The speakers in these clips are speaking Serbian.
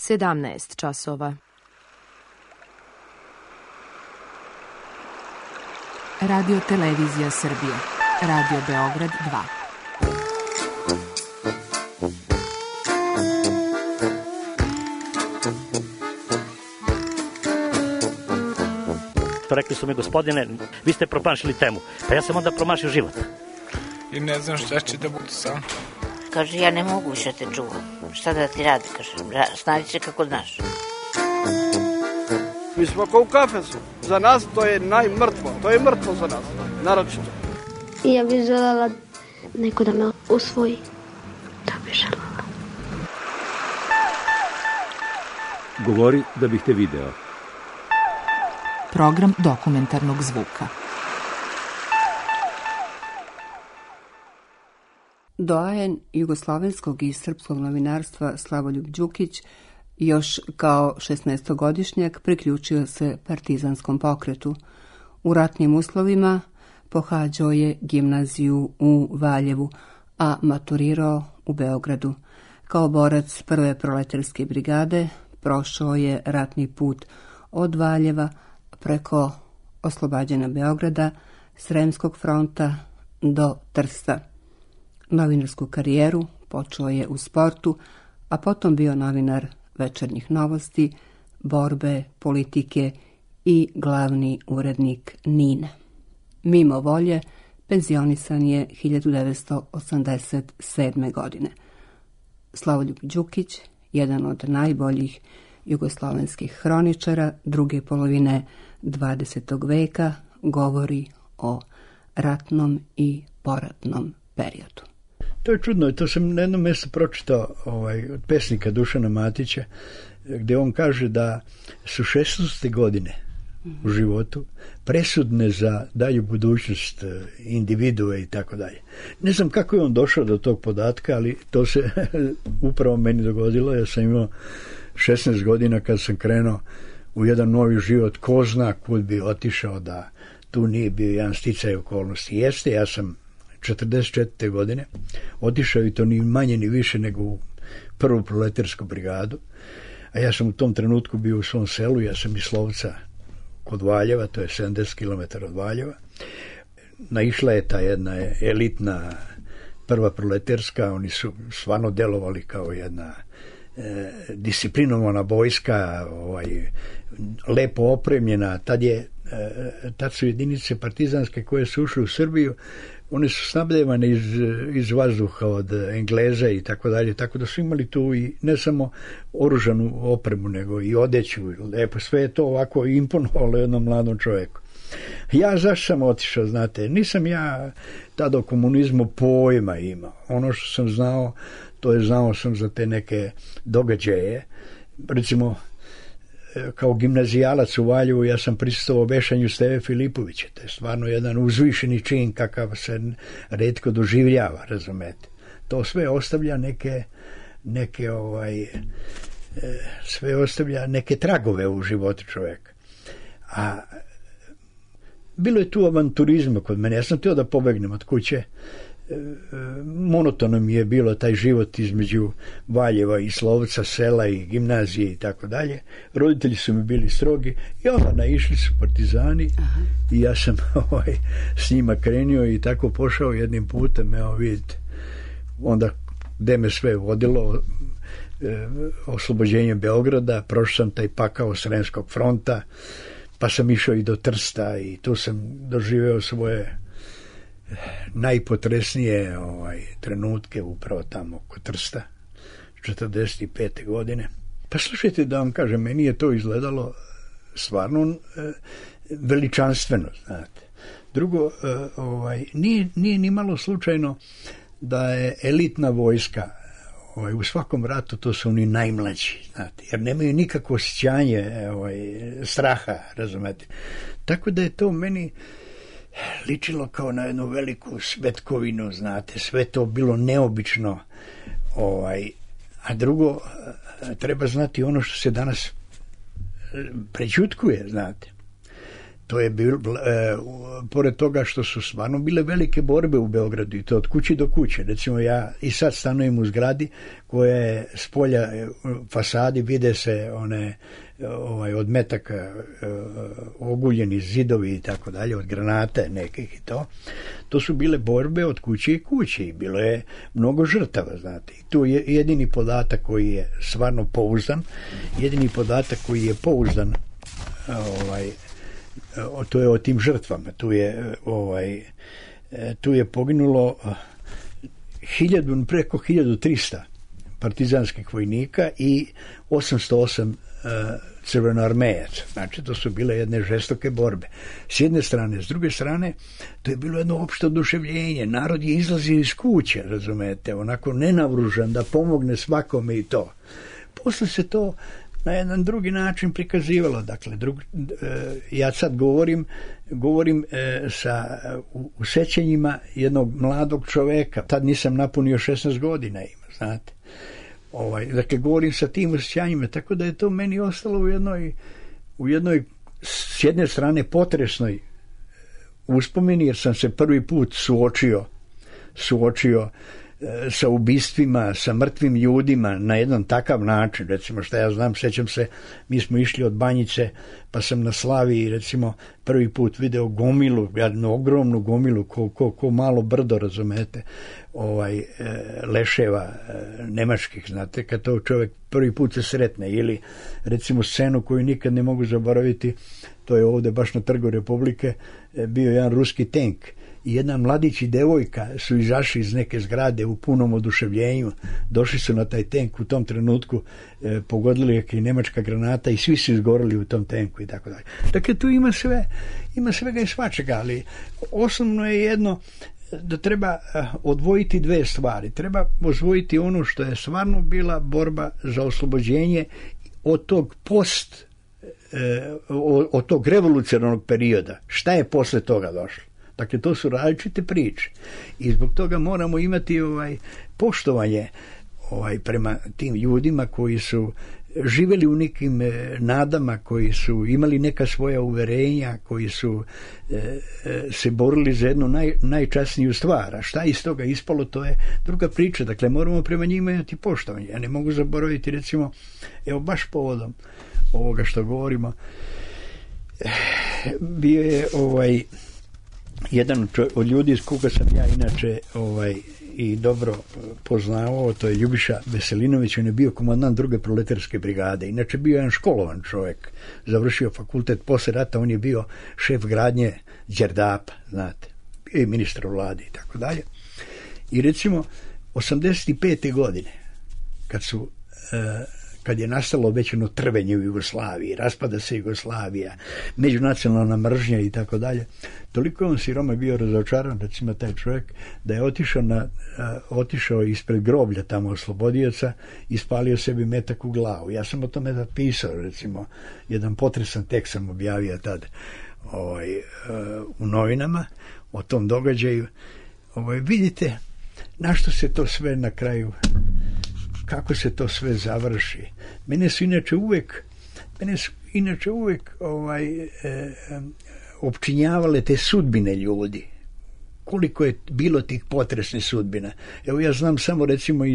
17 časova. Radio Televizija Srbije. Radio Beograd 2. Rekli su mi, gospodine, vi ste promašili temu. Pa ja sam onda promašio život. I ne znam šta će da bude sam. Kaže, ja ne mogu više te čuvam. Šta da ti radi, kaže, snađi se kako znaš. Mi smo kao u kafesu. Za nas to je najmrtvo. To je mrtvo za nas, naročito. Ja bih željela neko da me usvoji. To bih željela. Govori da bih te video. Program dokumentarnog zvuka. Doajen jugoslovenskog i srpskog novinarstva Slavoljub Đukić još kao 16-godišnjak priključio se partizanskom pokretu. U ratnim uslovima pohađao je gimnaziju u Valjevu, a maturirao u Beogradu. Kao borac prve proletarske brigade prošao je ratni put od Valjeva preko oslobađanja Beograda, Sremskog fronta do Trsta. Novinarsku karijeru počeo je u Sportu, a potom bio novinar Večernjih novosti, Borbe, Politike i glavni urednik NIN. Mimo volje, penzionisan je 1987. godine. Slavoljub Đukić, jedan od najboljih jugoslovenskih hroničara druge polovine 20. veka, govori o ratnom i poratnom periodu. To je čudno, to sam na jednom mjestu pročitao od pesnika Dušana Matića, gdje on kaže da su 16. godine u životu presudne za dalju budućnost individue i tako dalje. Ne znam kako je on došao do tog podatka, ali to se upravo meni dogodilo. Ja sam imao 16 godina kad sam krenuo u jedan novi život, ko zna kud bi otišao da tu nije bio jedan sticaj okolnosti. Jeste, ja sam 44. godine otišao i to ni manje ni više nego u prvu proletarsku brigadu, a ja sam u tom trenutku bio u svom selu, ja sam iz Slovca kod Valjeva, to je 70 km od Valjeva. Naišla je ta jedna elitna prva proletarska, oni su stvarno delovali kao jedna disciplinovana vojska, lepo opremljena. Tad su jedinice partizanske koje su ušle u Srbiju, one su snabdevane iz vazduha od Engleza i tako dalje, tako da su imali tu i ne samo oružanu opremu, nego i odeću. Lepo, sve je to ovako imponovalo jednom mladom čovjeku. Ja zašto sam otišao, znate, nisam ja tada o komunizmu pojma imao. Ono što sam znao, to je znao sam za te neke događaje. Recimo, kao gimnazijalac u Valjevu ja sam prisustvovao vešanju Steve Filipovića. To je stvarno jedan uzvišeni čin kakav se retko doživljava, razumete. To sve ostavlja sve ostavlja neke tragove u životu čovjeka. A bilo je tu avanturizma kod mene. Ja sam htio da pobegnem od kuće. Monotono mi je bilo taj život između Valjeva i Slovca, sela i gimnazije i tako dalje. Roditelji su mi bili strogi i onda naišli su partizani. Aha. I ja sam s njima krenio i tako pošao jednim putem, vidite, onda gde me sve vodilo, oslobođenje Beograda, prošao sam taj pakao Sremskog fronta, pa sam išao i do Trsta i tu sam doživeo svoje najpotresnije trenutke upravo tamo kod Trsta 45. godine. Pa slušajte da vam kažem, meni je to izgledalo stvarno veličanstveno, znate. Drugo, nije ni malo slučajno da je elitna vojska u svakom ratu, to su oni najmlađi, znate, jer nemaju nikakvo osjećanje straha, razumete. Tako da je to meni ličilo kao na jednu veliku svetkovinu, znate, sve to bilo neobično, a drugo, treba znati ono što se danas prećutkuje, znate. To je bilo, pored toga što su stvarno bile velike borbe u Beogradu i to od kuće do kuće. Recimo ja i sad stanujem u zgradi koja je s polja fasadi, vide se one od metaka oguljeni zidovi i tako dalje, od granate nekih i to. To su bile borbe od kuće i kuće i bilo je mnogo žrtava, znate. I tu je jedini podatak koji je stvarno pouzdan, to je o tim žrtvama. Tu je poginulo preko 1300 partizanskih vojnika i 808 crvenoarmejaca. Znači, to su bile jedne žestoke borbe. S jedne strane, s druge strane, to je bilo jedno opšte oduševljenje. Narod je izlazio iz kuće, razumete, onako nenavružan da pomogne svakome i to. Posle se to na jedan drugi način prikazivalo. Dakle, ja sad govorim u sećanjima jednog mladog čoveka. Tad nisam napunio 16 godina ima, znate. Dakle, govorim sa tim osjećanjima, tako da je to meni ostalo u jednoj s jedne strane potresnoj uspomeni, jer sam se prvi put suočio sa ubistvima, sa mrtvim ljudima na jedan takav način. Recimo, šta ja znam, sećam se, mi smo išli od Banjice, pa sam na Slaviji, recimo, prvi put video gomilu, jednu ogromnu gomilu, ko malo brdo, razumete, leševa nemačkih, znate, kad to čovjek prvi put se sretne, ili recimo scenu koju nikad ne mogu zaboraviti, to je ovdje baš na Trgu Republike, bio jedan ruski tank i jedna mladić i devojka su izašli iz neke zgrade u punom oduševljenju, došli su na taj tank, u tom trenutku pogodili je i nemačka granata i svi su izgorili u tom tanku i tako dalje. Dakle, tu ima svega i svačega, ali osnovno je jedno, da treba odvojiti dve stvari. Treba odvojiti ono što je stvarno bila borba za oslobođenje od tog od tog revolucionarnog perioda. Šta je posle toga došlo? Dakle, to su različite priče. I zbog toga moramo imati poštovanje prema tim ljudima koji su živjeli u nekim nadama, koji su imali neka svoja uverenja, koji su se borili za jednu najčasniju stvar. A šta iz toga ispalo, to je druga priča. Dakle, moramo prema njima imati poštovanje. Ja ne mogu zaboraviti, recimo, evo baš povodom ovoga što govorimo, bio je jedan od ljudi s koga sam ja inače i dobro poznavao, to je Ljubiša Veselinović, on je bio komandant druge proletarske brigade, inače bio jedan školovan čovjek, završio fakultet posle rata, on je bio šef gradnje Đerdapa, znate, bio je ministar u vladi i tako dalje. I recimo 85. godine kad je nastalo već ono trvenje u Jugoslaviji, raspada se Jugoslavija, međunacionalna mržnja i tako dalje, toliko je on siroma bio razočaran, recimo taj čovjek, da je otišao ispred groblja tamo oslobodioca i spalio sebi metak u glavu. Ja sam o tome napisao, recimo, jedan potresan tekst sam objavio tad u novinama o tom događaju. Vidite na što se to sve na kraju, kako se to sve završi. Mene su inače uvijek opčinjavale te sudbine ljudi. Koliko je bilo tih potresnih sudbina. Evo ja znam samo recimo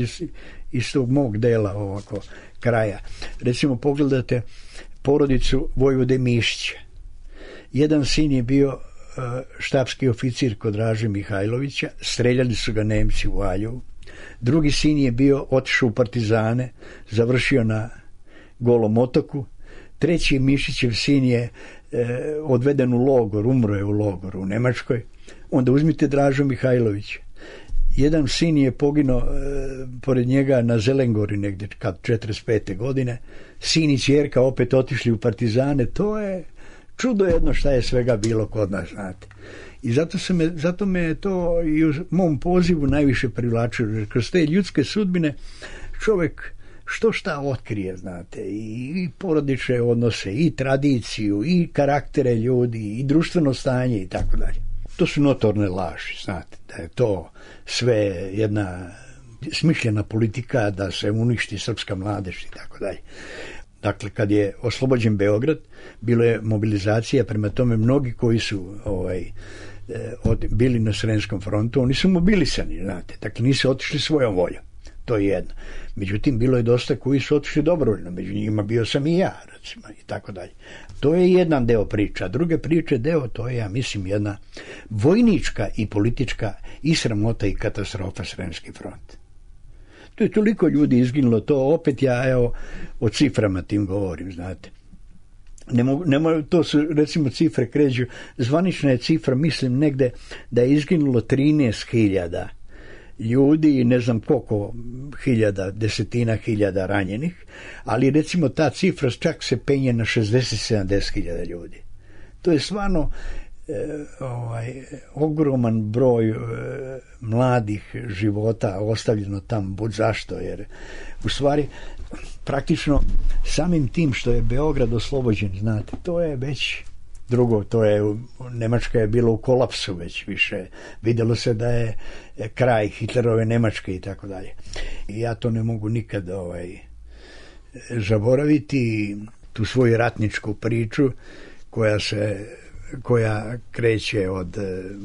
iz tog mog dela ovako kraja. Recimo pogledate porodicu Vojvode Mišića. Jedan sin je bio štabski oficir kod Draže Mihajlovića, streljali su ga Nemci u Valjevu. Drugi sin je otišao u partizane, završio na Golom otoku. Treći Mišićev sin je odveden u logor, umro je u logoru u Nemačkoj. Onda uzmite Dražu Mihajlovića. Jedan sin je poginuo pored njega na Zelengori negdje kad 45. godine. Sin i ćerka opet otišli u partizane. To je čudo jedno šta je svega bilo kod nas, znate. I zato me to i u mom pozivu najviše privlačilo, jer kroz te ljudske sudbine čovjek šta otkrije, znate, i porodične odnose, i tradiciju, i karaktere ljudi, i društveno stanje i tako dalje. To su notorne laži, znate, da je to sve jedna smišljena politika da se uništi srpska mladež i tako dalje. Dakle, kad je oslobođen Beograd, bilo je mobilizacija, prema tome mnogi koji su bili na Sremskom frontu, oni su mobilisani, znate, dakle nisu otišli svojom voljom, to je jedno. Međutim, bilo je dosta koji su otišli dobrovoljno, među njima bio sam i ja, recimo, i tako dalje. To je jedan deo priča. Druge priče deo, to je, ja mislim, jedna vojnička i politička i sramota i katastrofa Sremski front. To je toliko ljudi izginulo, to opet ja, evo, o ciframa tim govorim, znate. To su, recimo, cifre kređu, zvanična je cifra, mislim, negde da je izginulo 13.000 ljudi i ne znam koliko desetina hiljada ranjenih, ali recimo ta cifra čak se penje na 60-70.000 ljudi. To je stvarno ogroman broj mladih života ostavljeno tamo, bud zašto, jer u stvari praktično samim tim što je Beograd oslobođen, znate, to je već drugo, to je, Nemačka je bila u kolapsu već više, vidjelo se da je kraj Hitlerove Nemačke i tako dalje. I ja to ne mogu nikad zaboraviti, tu svoju ratničku priču koja kreće od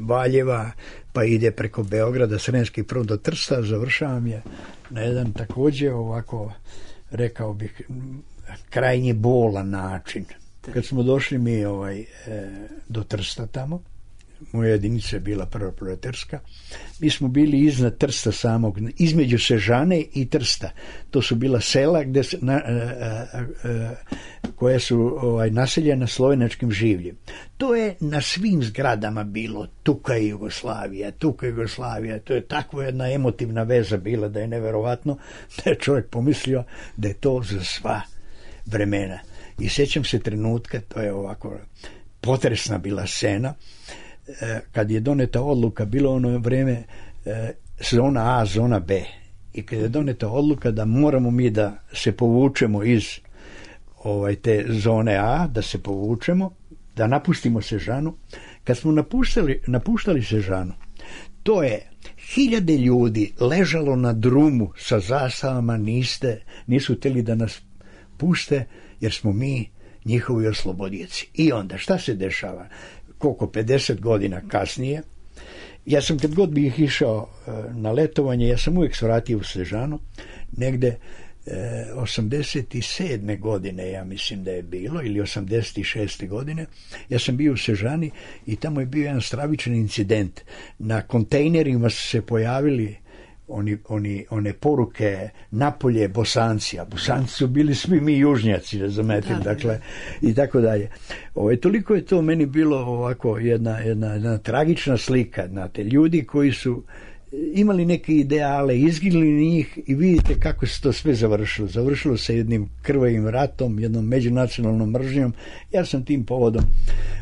Valjeva pa ide preko Beograda, Sremski front do Trsta, završavam je na jedan također ovako, rekao bih, krajnje bolan način. Kad smo došli mi do Trsta tamo, moja jedinica je bila prva proletarska, mi smo bili iznad Trsta samog, između Sežane i Trsta. To su bila sela koja su naseljena slovenačkim življem. To je na svim zgradama bilo Tuka Jugoslavija, to je takva jedna emotivna veza bila da je neverovatno, da je čovjek pomislio da je to za sva vremena. I sjećam se trenutka, to je ovako potresna bila scena, kad je doneta odluka, bilo ono vreme zona A, zona B, i kad je doneta odluka da moramo mi da se povučemo iz te zone A, da se povučemo, da napustimo Sežanu. Kad smo napuštali Sežanu, to je 1000 ljudi ležalo na drumu sa zastavama, nisu htjeli da nas puste, jer smo mi njihovi oslobodioci. I onda, šta se dešava? Koliko 50 godina kasnije, ja sam kad god bih išao na letovanje, ja sam uvijek svratio u Sežanu, negde 87. godine, ja mislim da je bilo, ili 86. godine, ja sam bio u Sežani i tamo je bio jedan stravičan incident. Na kontejnerima su se pojavili one poruke napolje Bosanci, a Bosanci su bili svi mi južnjaci, razumete, dakle, i tako dalje. Toliko je to meni bilo ovako jedna tragična slika, znate, ljudi koji su imali neke ideale, izginuli njih i vidite kako se to sve završilo. Završilo se jednim krvavim ratom, jednom međunacionalnom mržnjom. Ja sam tim povodom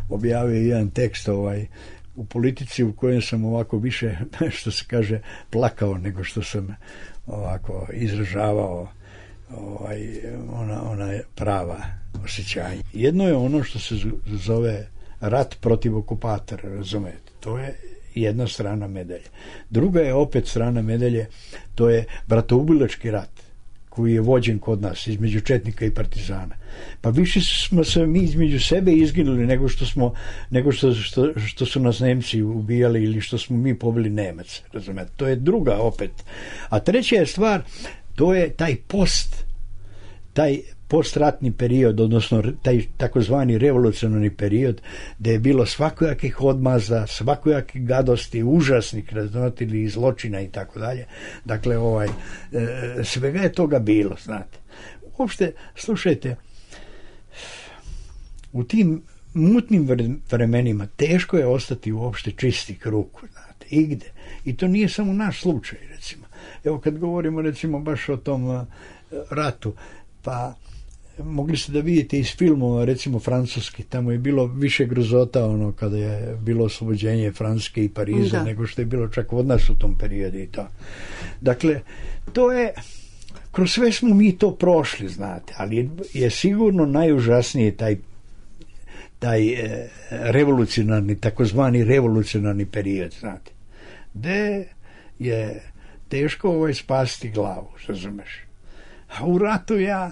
objavio jedan tekst u Politici u kojem sam ovako više, što se kaže, plakao nego što sam ovako izražavao ona prava osjećanja. Jedno je ono što se zove rat protiv okupatora, razumete, to je jedna strana medalje. Druga je opet strana medalje, to je bratoubilački rat koji je vođen kod nas između četnika i partizana. Pa više smo se mi između sebe izginuli nego što su nas Nemci ubijali ili što smo mi pobili Nemaca, razumete. To je druga opet. A treća je stvar, to je taj postratni period, odnosno taj takozvani revolucionarni period, gdje je bilo svakojakih odmaza, svakojakih gadosti, užasnih razvratili zločina i tako dalje. Dakle, svega je toga bilo, znate. Uopšte, slušajte, u tim mutnim vremenima teško je ostati uopšte čistih ruku, znate, igde. I to nije samo naš slučaj, recimo. Evo, kad govorimo, recimo, baš o tom ratu, pa mogli ste da vidite iz filmova, recimo francuski, tamo je bilo više grozota kada je bilo oslobođenje Francuske i Pariza nego što je bilo čak od nas u tom periodu i to. Dakle, to je, kroz sve smo mi to prošli, znate, ali je sigurno najužasniji taj revolucionarni, takozvani revolucionarni period, znate, gde je teško spasti glavu, razumeš. A u ratu ja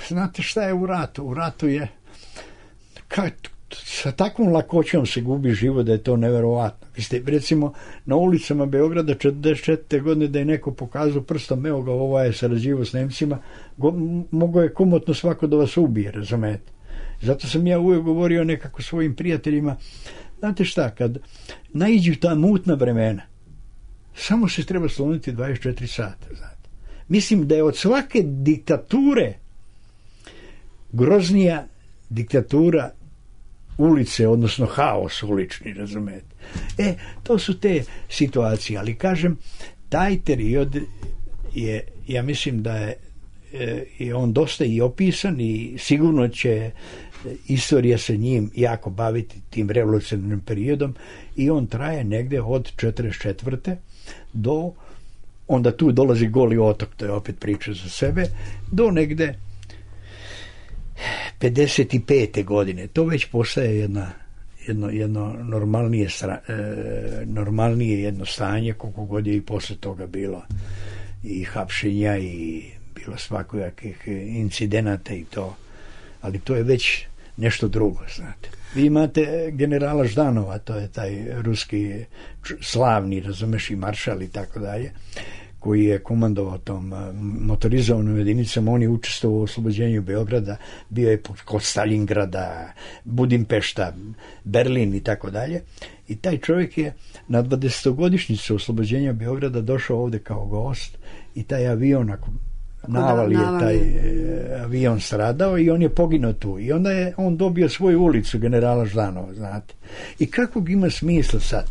Znate šta je u ratu? U ratu je sa takvom lakoćom se gubi život da je to neverovatno. Vi ste, recimo, na ulicama Beograda 44. godine da je neko pokazao prstom, evo ga, ovo je sarađivo s Nemcima, mogao je komotno svako da vas ubije, razumete? Zato sam ja uvijek govorio nekako svojim prijateljima, znate šta, kad naiđu ta mutna vremena, samo se treba sloniti 24 sata, znate. Mislim da je od svake diktature groznija diktatura ulice, odnosno haos ulični, razumete. To su te situacije, ali kažem, taj period je, ja mislim da je on dosta i opisan i sigurno će istorija se njim jako baviti tim revolucionarnim periodom i on traje negde od 44. do, onda tu dolazi Goli otok, to je opet priča za sebe, do negde 55. godine. To već postaje jedno normalnije jedno stanje, koliko god je i posle toga bilo i hapšenja i bilo svakojakih incidenata i to, ali to je već nešto drugo, znate. Vi imate generala Ždanova, to je taj ruski slavni, razumeš, i maršal i tako dalje, koji je komandovao tom motorizovanom jedinicom. On je učestvovao u oslobođenju Beograda, bio je kod Stalingrada, Budimpešta, Berlin i tako dalje. I taj čovjek je na 20-godišnjicu oslobođenja Beograda došao ovde kao gost i taj avion, ako navali je taj avion stradao i on je poginuo tu. I onda je on dobio svoju ulicu, generala Ždanova, znate. I kakvog ima smisla sad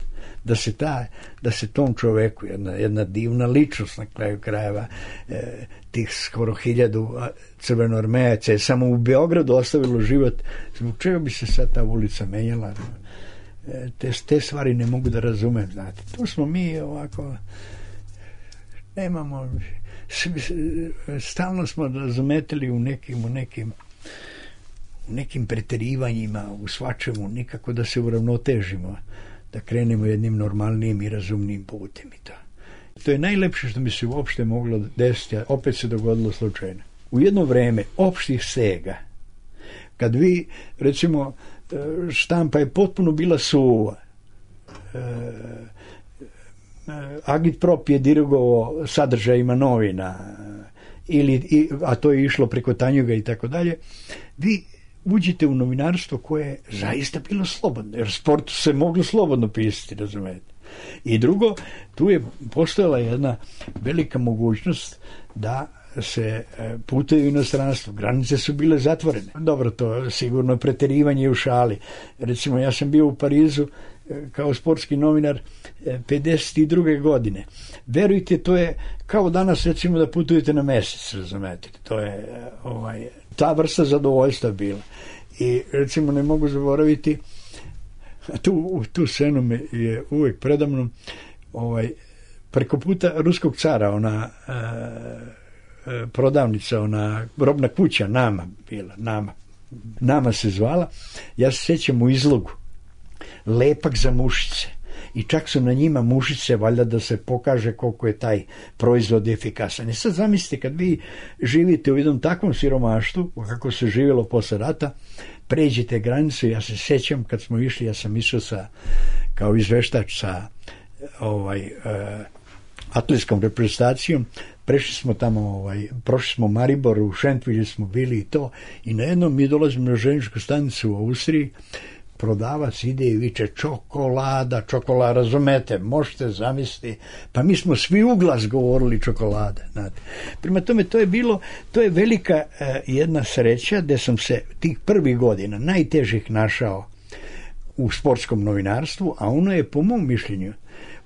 da se tom čoveku, jedna divna ličnost na kraju krajeva, tih skoro 1000 crvenoarmejaca je samo u Beogradu ostavilo život, zbog čega bi se sad ta ulica menjala? Te stvari ne mogu da razumem, znate. To smo mi ovako, nemamo, stalno smo razumetili u nekim preterivanjima, u svačemu, nikako da se uravnotežimo, da krenemo jednim normalnim i razumnim putem i to. To je najlepše što mi se uopšte moglo desiti, a opet se dogodilo slučajno. U jedno vreme opštih stega, kad vi, recimo, štampa je potpuno bila suva, Agitprop je dirigovao sadržajima novina, a to je išlo preko Tanjuga i tako dalje, vi uđite u novinarstvo koje je zaista bilo slobodno, jer sportu se moglo slobodno pisati, razumete. I drugo, tu je postojala jedna velika mogućnost da se putuju u inostranstvo. Granice su bile zatvorene. Dobro, to sigurno preterivanje u šali. Recimo, ja sam bio u Parizu kao sportski novinar 52. godine. Verujte, to je kao danas, recimo, da putujete na mesec, razumete. To je ta vrsta zadovoljstva bila. I, recimo, ne mogu zaboraviti, tu scenu me je uvek predamnom, preko puta ruskog cara, ona prodavnica, ona robna kuća, Nama se zvala, ja se sjećam u izlogu, lepak za mušice, i čak su na njima mušice, valjda da se pokaže koliko je taj proizvod efikasan. I sad zamislite, kad vi živite u jednom takvom siromaštvu, kako se živjelo posle rata, pređete granicu. Ja se sjećam kad smo išli, ja sam išao kao izveštač sa atletskom reprezentacijom, prešli smo tamo, prošli smo Maribor, u Šentvilju smo bili i to, i na jednom mi dolazimo na željezničku stanicu u Austriji, prodavac ide i viče čokolada, razumete, možete zamisliti, pa mi smo svi u glas govorili čokolada, znate. Prema tome, to je velika jedna sreća da sam se tih prvih godina najtežih našao u sportskom novinarstvu, a ono je, po mom mišljenju,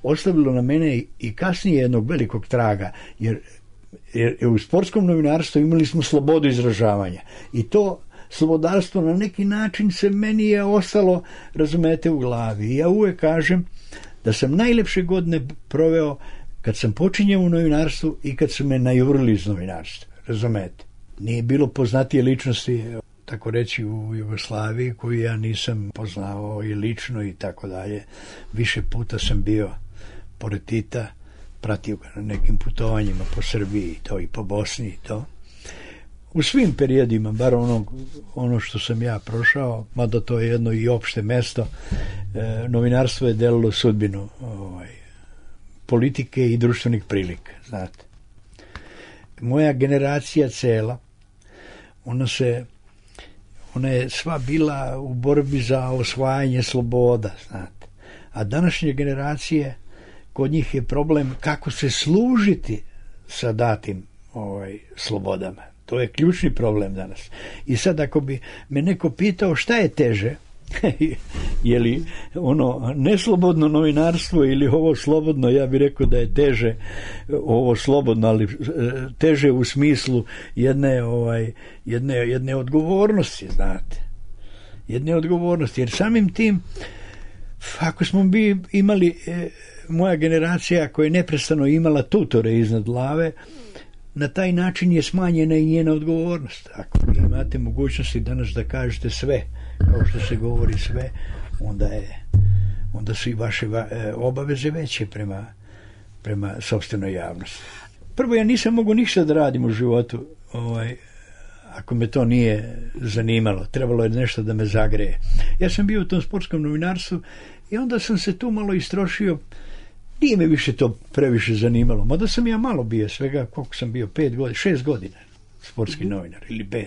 ostavilo na mene i kasnije jednog velikog traga, jer u sportskom novinarstvu imali smo slobodu izražavanja i to slobodarstvo na neki način se meni je ostalo, razumete, u glavi. I ja uvek kažem da sam najlepše godine proveo kad sam počinjao u novinarstvu i kad su me najurili iz novinarstva, razumete. Nije bilo poznatije ličnosti, tako reći, u Jugoslaviji koju ja nisam poznavao i lično i tako dalje. Više puta sam bio pored Tita, pratio ga na nekim putovanjima po Srbiji i to, i po Bosni i to. u svim periodima, bar ono što sam ja prošao, mada to je jedno i opšte mesto, novinarstvo je delilo sudbinu politike i društvenih prilika, znate. Moja generacija cela, ona je sva bila u borbi za osvajanje sloboda, znate. A današnje generacije, kod njih je problem kako se služiti sa datim slobodama. To je ključni problem danas. I sad ako bi me neko pitao šta je teže, je li ono neslobodno novinarstvo ili ovo slobodno, ja bih rekao da je teže ovo slobodno, ali teže u smislu jedne odgovornosti, znate. Jedne odgovornosti, jer samim tim ako smo imali moja generacija koja je neprestano imala tutore iznad glave, na taj način je smanjena i njena odgovornost. Ako imate mogućnosti danas da kažete sve, kao što se govori sve, onda su i vaše obaveze veće prema sopstvenoj javnosti. Prvo, ja nisam mogu ništa da radim u životu ako me to nije zanimalo. Trebalo je nešto da me zagreje. Ja sam bio u tom sportskom novinarstvu i onda sam se tu malo istrošio. Nije me više to previše zanimalo. Mada sam ja malo bio, svega koliko sam bio, 6 godina sportski novinar ili 5.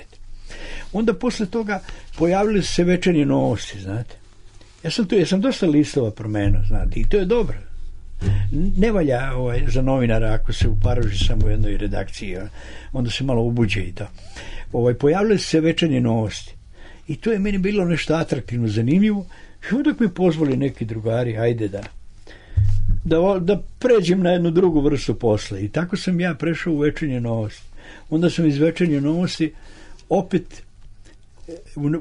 Onda posle toga pojavile se Večernje novosti, znate. Ja sam dosta listova promenio, znate, i to je dobro. Ne valja za novinara ako se uparoži samo u jednoj redakciji, onda se malo ubuđe i to. Pojavile se Večernje novosti i to je meni bilo nešto atraktivno, zanimljivo, i onda mi pozvali neki drugari, ajde da pređem na jednu drugu vrstu posla. I tako sam ja prešao u Večernje novosti. Onda sam iz Večernje novosti opet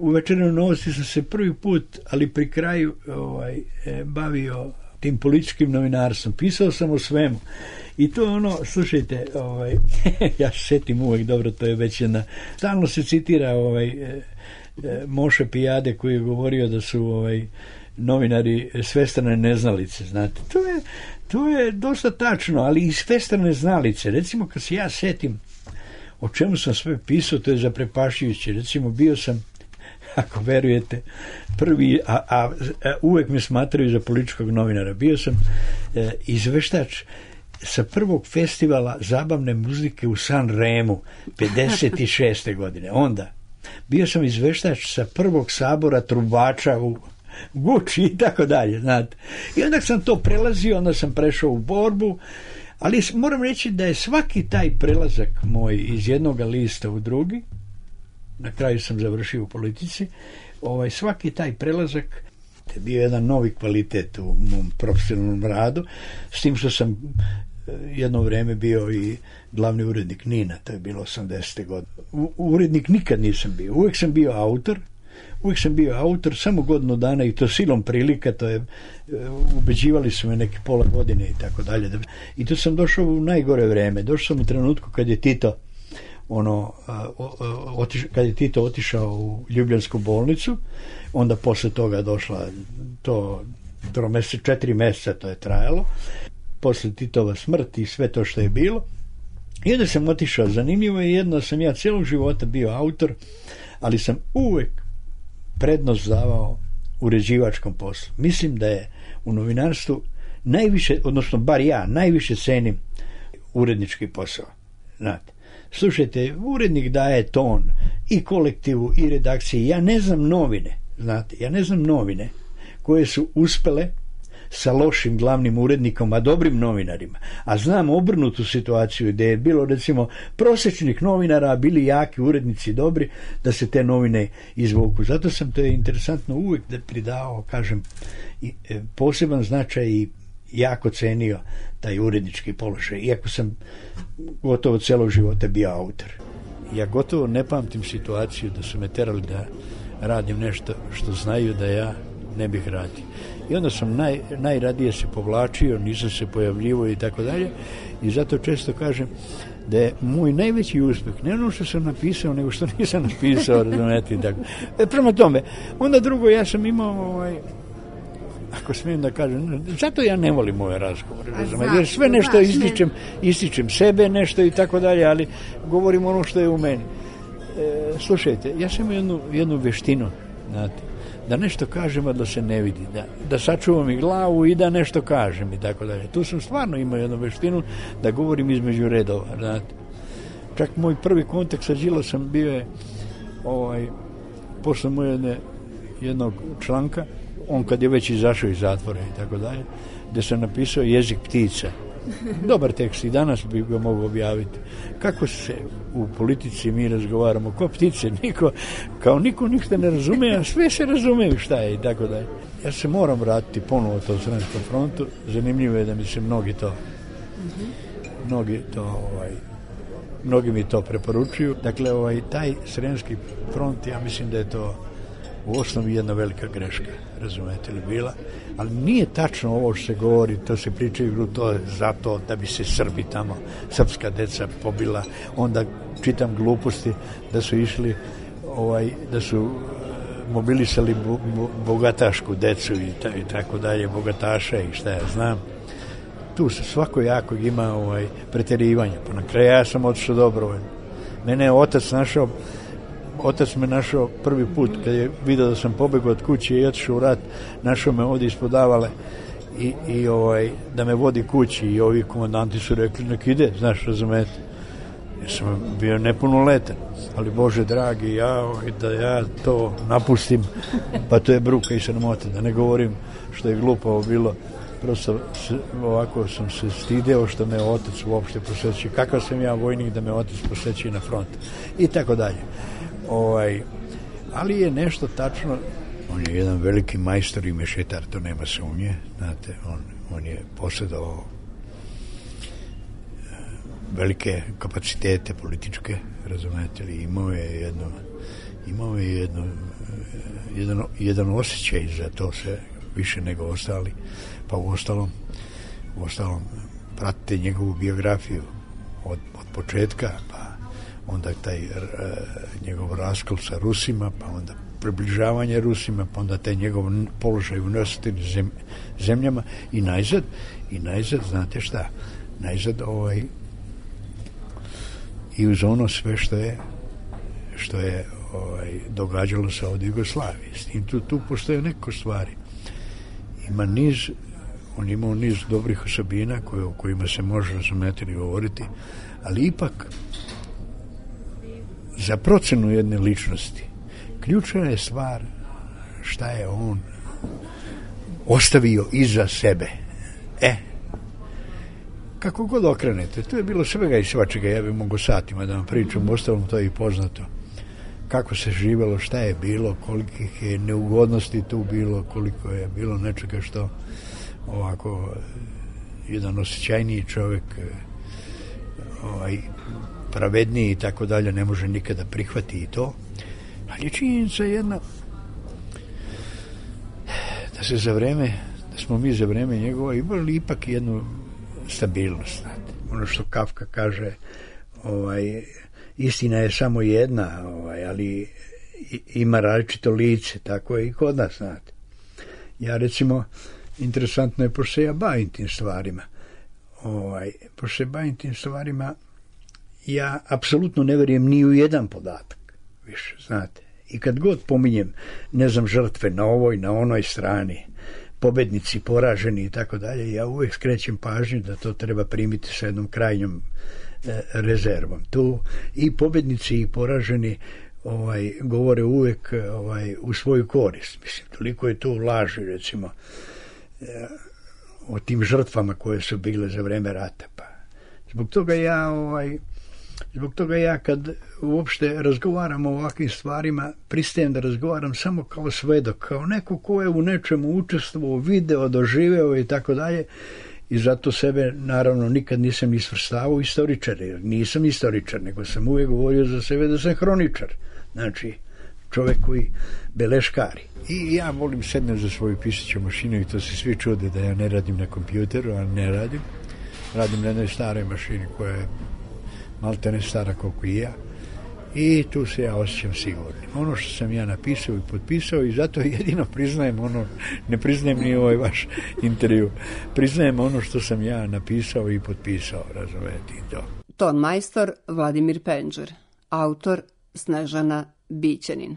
u Večernje novosti sam se prvi put, ali pri kraju bavio tim političkim novinarstvom. Pisao sam o svemu. I to je ono, slušajte, ja se setim uvek dobro, to je već jedna, stalno se citira Moše Pijade koji je govorio da su novinari svestrane neznalice, znate. To je dosta tačno, ali i svestrane znalice. Recimo, kad se ja setim o čemu sam sve pisao, to je zaprepašujuće. Recimo, bio sam, ako verujete, prvi, a uvek me smatraju za političkog novinara, bio sam izveštač sa prvog festivala zabavne muzike u San Remu 56. godine. Onda bio sam izveštač sa prvog sabora trubača u Guči i tako dalje, znate. I onda sam to prelazio, onda sam prešao u borbu, ali moram reći da je svaki taj prelazak moj iz jednog lista u drugi, na kraju sam završio u politici, svaki taj prelazak je bio jedan novi kvalitet u mom profesionalnom radu, s tim što sam jedno vreme bio i glavni urednik NIN-a, to je bilo 80. godine. Urednik nikad nisam bio, uvijek sam bio autor, samo godinu dana i to silom prilika, to je, ubeđivali su me neke pola godine i tako dalje. I tu sam došao u najgore vreme, došao sam u trenutku kad je Tito otišao u Ljubljansku bolnicu, onda posle toga došla to 4 meseca to je trajalo, posle Titova smrt i sve to što je bilo. I onda sam otišao. Zanimljivo je jedno, sam ja cijelog života bio autor, ali sam uvek prednost davao uređivačkom poslu. Mislim da je u novinarstvu najviše, odnosno bar ja, najviše cenim urednički posao. Znate, slušajte, urednik daje ton i kolektivu i redakciji. Ja ne znam novine koje su uspele sa lošim glavnim urednikom, a dobrim novinarima. A znam obrnutu situaciju gdje je bilo, recimo, prosječnih novinara, a bili jaki urednici dobri, da se te novine izvuku. Zato sam, to je interesantno, uvijek da pridao, kažem, poseban značaj i jako cenio taj urednički položaj, iako sam gotovo celog života bio autor. Ja gotovo ne pamtim situaciju da su me terali da radim nešto što znaju da ja ne bih radio. I onda sam najradije se povlačio, nisam se pojavljivao i tako dalje, i zato često kažem da je moj najveći uspjeh ne ono što sam napisao, nego što nisam napisao, razumete, i tako. Prema tome, onda drugo, ja sam imao ako smijem da kažem, zato ja ne volim ove razgovore, jer sve nešto ističem sebe, nešto i tako dalje, ali govorim ono što je u meni. slušajte, ja sam imao jednu veštinu, znate, da nešto kažem, a da se ne vidi, da sačuvam i glavu i da nešto kažem i tako dalje. Tu sam stvarno imao jednu veštinu da govorim između redova, znate. Čak moj prvi kontakt sa Đilasom bio je posle moje jednog članka, on kad je već izašao iz zatvora i tako dalje, gde sam napisao Jezik ptica. Dobar tekst i danas bi ga mogao objaviti. Kako se u politici mi razgovaramo, ko ptice, niko ništa ne razume, a sve se razumeju šta je i tako dalje. Ja se moram vratiti ponovo to Sremskom frontu, zanimljivo je da mi se mnogi mi to preporučuju. Dakle, taj Sremski front, ja mislim da je to u osnovi jedna velika greška, razumete li, bila, ali nije tačno ovo što se govori, to se pričaju, to je zato da bi se Srbi tamo, srpska deca pobila, onda čitam gluposti da su išli, da su mobilisali bogatašku decu i tako dalje, bogataša i šta ja znam. Tu se svakojakog ima preterivanja, pa na kraju ja sam otišao dobrovoljno. Mene je otac me našao prvi put kad je vidio da sam pobegao od kuće i otišao u rat, našao me ovdje ispod Avale i da me vodi kući i ovi komandanti su rekli nek ide, znaš, razumete. Ja sam bio nepunoletan, ali Bože dragi, da ja to napustim, pa to je bruka i sramota, da ne govorim što je glupavo bilo. Prosto ovako sam se stideo što me otac uopšte posjeći. Kakav sam ja vojnik da me otac posjeći na front. I tako dalje. Ali je nešto tačno. On je jedan veliki majstor i mešetar, to nema sumnje. Znate, on je posjedovao velike kapacitete političke, razumete li, imao je jedan osjećaj za to sve više nego ostali. Pa u ostalom pratite njegovu biografiju od početka, pa onda taj njegov raskol sa Rusima, pa onda približavanje Rusima, pa onda taj njegov položaj u neosjetljivim zemljama i najzad, znate šta, i uz ono sve što je događalo se ovdje u Jugoslaviji. S tim tu postoje neko stvari. On imao niz dobrih osobina o kojima se može razumjeti i govoriti, ali ipak za procenu jedne ličnosti ključna je stvar šta je on ostavio iza sebe. Kako god okrenete, to je bilo svega i svačega, ja bih mogao satima da vam pričam, ostalom to je i poznato. Kako se živjelo, šta je bilo, kolikih je neugodnosti tu bilo, koliko je bilo nečega što ovako jedan osjećajniji čovjek, pravedniji i tako dalje, ne može nikada prihvati i to. Ali je činjenica jedna da smo mi za vreme njegova imali ipak jednu stabilnost, znate. Ono što Kafka kaže, istina je samo jedna, ali ima različito lice, tako je i kod nas, znate. Ja recimo, interesantno je, pošto se ja bavim tim stvarima, ja apsolutno ne verujem ni u jedan podatak više, znate. I kad god pominjem, ne znam, žrtve na ovoj, na onoj strani, pobednici, poraženi i tako dalje, ja uvijek skrećem pažnju da to treba primiti sa jednom krajnjom rezervom. Tu i pobednici i poraženi govore uvijek u svoju korist. Mislim, toliko je tu laži, recimo, o tim žrtvama koje su bile za vreme rata. Pa zbog toga ja kad uopšte razgovaram o ovakvim stvarima, pristajem da razgovaram samo kao svedok, kao neko ko je u nečemu učestvovao, video, doživeo i tako dalje. I zato sebe, naravno, nikad nisam isvrstavao istoričar, jer nisam istoričar, nego sam uvijek govorio za sebe da sam hroničar. Znači, čovjek koji beleškari. I ja volim sednem za svoju pisaću mašinu i to se svi čude da ja ne radim na kompjuteru, a ne radim. Radim na jednoj staroj mašini koja je malte ne stara koliko i ja. I tu se ja osjećam sigurnim. Ono što sam ja napisao i potpisao i zato jedino priznajem ono, ne priznajem ni ovaj vaš intervju, priznajem ono što sam ja napisao i potpisao, razumijete to. Ton majstor Vladimir Penđer, autor Snežana Bićanin.